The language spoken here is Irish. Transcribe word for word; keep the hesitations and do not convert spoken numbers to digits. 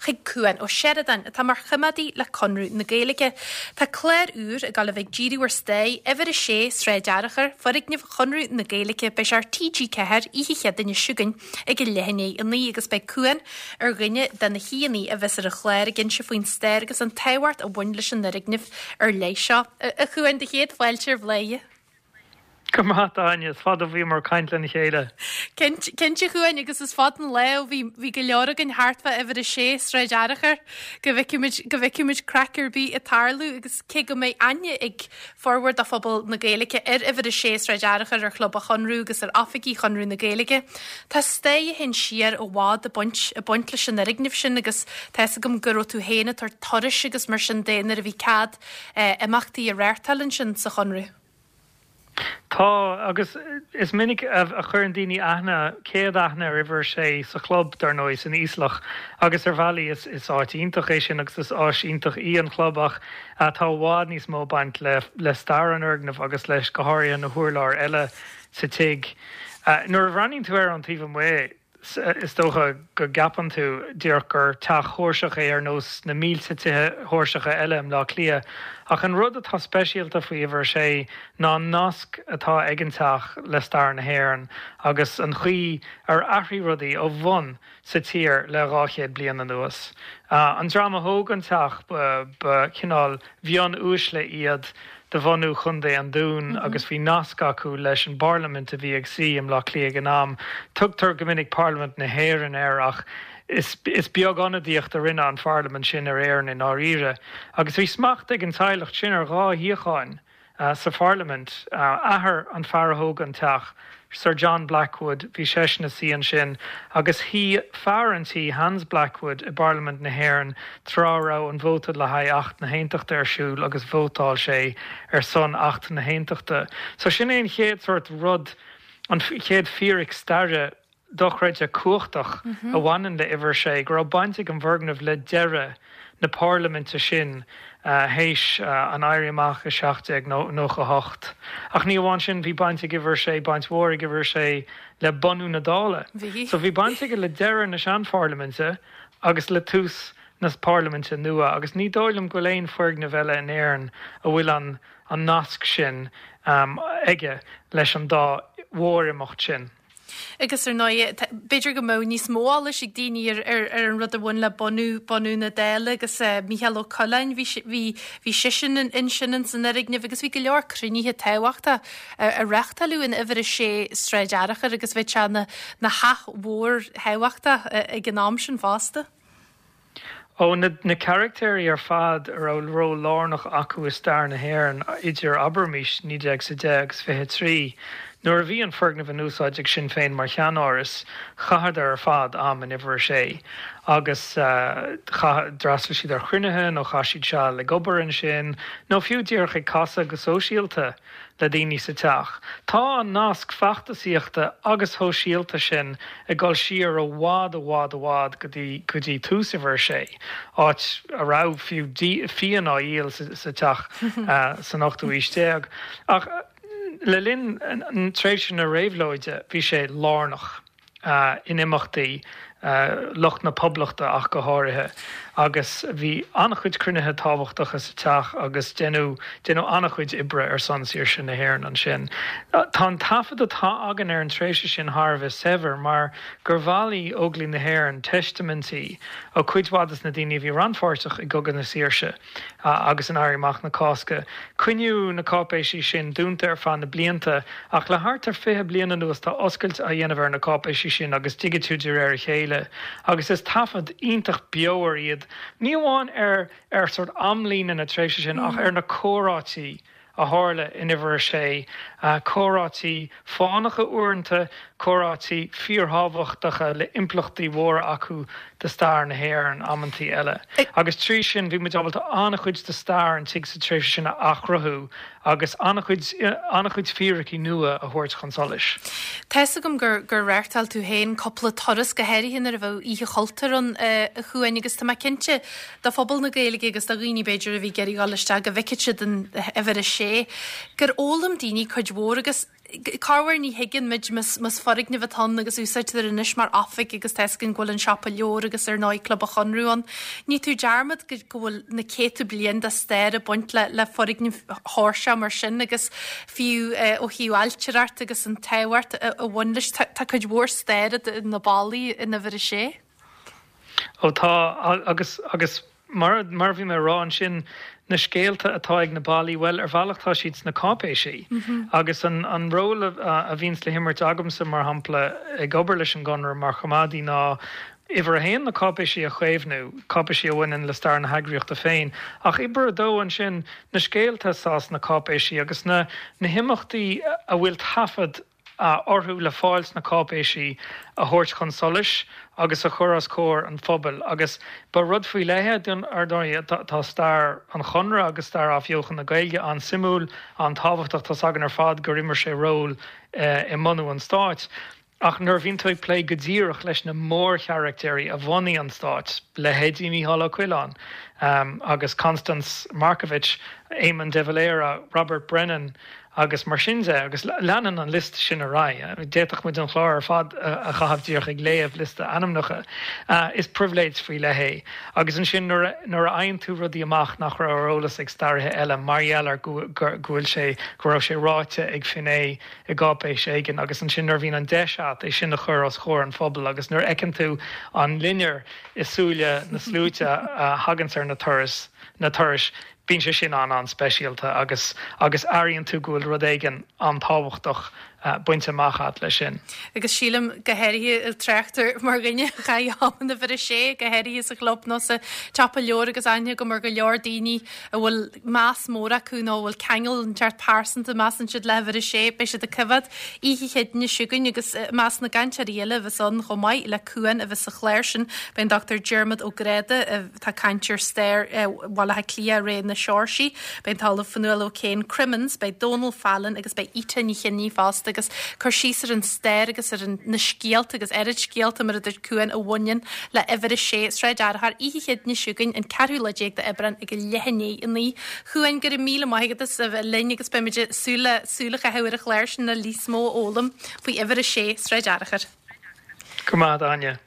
chuig Cuan Ó Seireadáin, atá mar choimeádaí le Conradh na Gaeilge. Tá clár úr ag dul a bheith ag díriú ar stair uimhir a sé Sráid Fhearchair, foirgneamh Chonradh na Gaeilge, beidh sé ar T G Ceathair oíche Chéadaoine seo chugainn ag a leath i ndiaidh a naoi agus beidh Cuan ar dhuine de na haíonna a bheas ar an chlár ag inse faoin stair agus an tábhacht a bhain leis an fhoirgneamh ar leith seo. A Chuain, do chéad fáilte ar Bhladhaire. Go maith, Áine, is fada bhíomar ag caint lena chéile. Cinnte, a Chuain, agus is fada an lá ó bhí bhí go leor againn thart fá uimhir a sé Sráid Fhearchair go bhfeicfimid go bhfeicfimid craic ar bith ag tarlú agus cé go mbeidh aithne ag formhór de phobal na Gaeilge ar uimhir a sé Sráid Fhearchair, ar Chlub an Chonradh agus ar oifigí Chonradh na Gaeilge. Tá stair a théann siar i bhfad ag baint ag baint leis an fhoirgneamh sin agus tá agam go raibh tú féin ag tabhairt turais agus mar sin de nuair a bhí cead eh, imeachtaí a reáchtáil ansin sa Chonradh. Tá, agus is minic a chuireann daoine aithne céad aithne ar uimhir sé sa chlub, dar ndóigh, san Íoslach, agus ar bhealaí is is áit iontach é sin agus is áis iontach í an chlub, ach tá i bhfad níos mó baint le le stair an fhoirgnimh agus leis, go háirithe, na hurláir eile sa tigh. Nuair a bhreathnaíonn tú ar an taobh amuigh, is dócha go gceapann tú díreach gur teach póirseach é ar nós na mílte tithe póirseacha eile i mBleá Cliath. Ach an rud atá speisialta faoi uimhir sé ná nasc atá ag an teach le stair na hÉireann agus an chaoi ar athraigh rudaí ó bhun sa tír le dhá chéad bliain anuas. Uh, an dream a thóg an teach, ba chineál mhionuaisle iad de bhunadh Chontae an Dúin mm -hmm. agus bhí nasc acu leis an bparlaimint a bhí ag suí i mBleá Cliath ag an am. Tugtar go minic Parlaimint na hÉireann air, ach is, is beag ionadaíocht a rinne an pharlaimint sin ar Éirinn i ndáiríre. Agus bhí smacht ag an teaghlach sin ar dhá shuíochán uh, sa pharlaimint. uh, athair an fear a thóg an teach, Sir John Blackwood, bhí seisean ina shuí ansin, agus shuigh fear an tí, Hans Blackwood, i bParlaimint na hÉireann tráth a raibh an vóta le haghaidh Acht na hAontachta ar siúl, agus vótáil sé ar son Acht na hAontachta. So sin é an chéad sort rud, an chéad fíric staire dochreidte cumhachtach mm -hmm. a bhaineann le uimhir sé, go raibh baint ag an bhfoirgneamh le deireadh na parlaiminte sin uh, théis uh, an Éirí Amach i seacht nócha hocht. Ach ní amháin sin, bhí baint ag uimhir sé, baint mhór ag uimhir sé le bunú na Dála. So bhí baint aige le deireadh na seanpharlaiminte agus le tús na parlaiminte nua, agus ní dóigh liom go bhfuil aon fhoirgneamh eile in Éirinn a bhfuil an an nasc sin um, aige leis an dá mhórimeacht sin. Agus ar ndóigh, b'fhéidir go mbeadh níos mó eolais ag daoine ar, ar, ar an rud a bhain le bunú bunú na Dála agus uh, Mícheál Ó Coileáin, bhí bhí bhí seisean in sin in san fhoirgneamh agus bhí go leor cruinnithe tábhachtacha a reáchtáladh in uimhir a sé Sráid Fhearchair agus bhí sé na na theach mhór thábhachtach ag an am sin fosta. Ó na, na carachtéirí ar fad a raibh ról lárnach acu i stair na hÉireann idir, abraimis, naoi déag sa deich agus fiche trí, nuair a bhí an foirgneamh in úsáid ag Sinn Féin mar cheannáras, chaitheadar ar fad am in uimhir sé agus uh, d'fhreastail siad ar chruinnithe nó chaith siad seal ag obair ansin nó fiú díreach ag casadh go sóisialta le daoine sa teach. Tá an nasc feachtasaíochta agus sóisialta sin ag dul siar i bhfad i bhfad i bhfad go dtí go dtí tús uimhir sé, áit a raibh fiú fíon á dhíol sa, sa teach uh, san ochtú haois déag. Ach le linn tréimhse na réabhlóide bhí sé lárnach uh, in imeachtaí uh, lucht na poblachta ach go háirithe, agus bhí an-chuid cruinnithe tábhachtacha sa teach agus déanadh déanadh an-chuid oibre ar son saoirse na hÉireann ansin. Uh, tá an taifead atá againn ar an tréimhse sin thar a bheith saibhir mar gur bhailigh Óglaigh na hÉireann teistaimintí ó chuid mhaith des na daoine a bhí rannpháirteach i gCogadh na Saoirse agus in Éirí Amach na Cásca. Coinníodh na cáipéisí sin dúnta ar feadh na blianta, ach le thart ar fiche bliain anuas tá oscailt á dhéanamh ar na cáipéisí sin agus digitiú de réir a chéile, agus is taifead iontach beomhar iad, ní amháin ar ar sort amlíne na tréimhse sin, ach ar na comhráití a tharla in uimhir sé, comhráití fánacha uaireanta, comhráití fíorthábhachtacha le impleachtaí mhóra acu do stair na hÉireann amantaí eile. Agus trí sin bhí muid ábalta an-chuid de stair an tigh sa tréimhse sin a athchruthú agus an-chuid an-chuid fíricí nua a thabhairt chun solais. Tá a fhios agam gur gur reáchtáil tú féin cúpla turas, go háirithe nuair a bheadh Oíche Chultúir ann, a Chuain, agus tá mé cinnte do phobal na Gaeilge agus do dhaoine b'fhéidir a bhí ag iarraidh dul isteach go bhfeicfeadh siad an uimhir a sé. sé, gur fhoghlaim daoine cuid mhór agus corruair ní thuigeann muid más foirgneamh atá ann agus úsáidtear anois mar oifig agus tá a fhios againn go bhfuil an siopa leabhar agus ar ndóigh Club an Chonradh ann. Ní tú dearmad go bhfuil na céadta bliain de stair ag baint le le foirgneamh Sheoirseach mar sin agus fiú ó thaobh ailtireacht agus an tábhacht a bhain leis tá cuid mhór staire na ballaí in uimhir a sé. Ó tá agus agus mar mar a bhí mé a rá ansin, na scéalta atá ag na ballaí, bhuel, ar bhealach tá siad sna cáipéisí. Agus an an ról a a bhíonns le himirt agamsa, mar shampla, ag obair leis an gConradh mar choimeádaí ná uimhir a haon na cáipéisí a chaomhnú, cáipéisí a bhaineann le stair na heagraíochta féin, ach uimhir a dó ansin na scéalta atá sna cáipéisí agus na na himeachtaí a bhfuil taifead orthu le fáil sna cáipéisí a thabhairt chun solais agus a chur os comhair an phobail. Agus ba rud faoi leith é, ar ndóigh, tá stair an Chonradh agus stair athbheochan na Gaeilge an-suimiúil, an-tábhachtach, tá's againn ar fad gur imir sé ról i mbunú an stáit. Ach nuair a bhíonn tú ag plé go díreach leis na mórcharachtéirí a bhunaigh an stát, leithéidí Mícheál Ó Coileáin agus Constance Markievicz, Éamon de Valera, Robert Brennan, agus mar sin de, agus leanann an liosta sin ar aghaidh. D'fhéadfadh muid an clár ar fad a chaitheamh díreach ag léamh liosta ainmneacha. Is pribhléid faoi leith é. Agus ansin nuair a fhaigheann tú rudaí amach nach raibh ar eolas ag staraithe eile mar gheall ar go bhfuil sé, go raibh sé ráite ag finné i gcáipéis éigin agus ansin nuair a bhíonn an deis agat é sin a chur os comhair an phobail agus nuair a fheiceann tú an loinnir i súile na sluaite a thaganns ar na turais, na turais, Bíonn sé sin an-an-speisialta agus agus airíonn tú go bhfuil rud éigin an-tábhachtach bainte amach agat leis sin. Agus sílim go háirithe ag trácht mar dhuine a chaith am in uimhir a sé, go háirithe sa chlub nó sa tsiopa leabhar agus aithne agam ar go leor daoine a bhfuil meas mór acu nó a bhfuil ceangal inteacht pearsanta measann siad le huimhir a sé, beidh siad ag coimhéad oíche Chéadaoine seo chugainn agus i measc na gcainteoirí eile a bheas ann chomh maith le Cuan a bheas sa chlár sin, beidh an Dochtúir Diarmuid Ó Gráda atá ag caint ar stair Bhaile Átha Cliath i ré na Seoirsí, beidh an tOllamh Fionnuala O'Kane Crimmins, beidh Dónal Fallon agus beidh Ita Ní Chionnaith fosta agus cur síos ar an stair agus ar na scéalta agus oiread scéalta mar a dúirt Cuan a bhaineann le uimhir a sé, Sráid Fhearchair, oíche Chéadaoine seo chugainn, an ceathrú lá déag d'Aibreán ag a leath i ndiaidh a naoi. Cuan, go raibh míle maith agat as a bheith linn agus beimid ag súil le súil a chaitheamh ar an chlár sin le níos mó a fhoghlaim faoi uimhir a sé, Sráid Fhearchair. Go maith, Áine.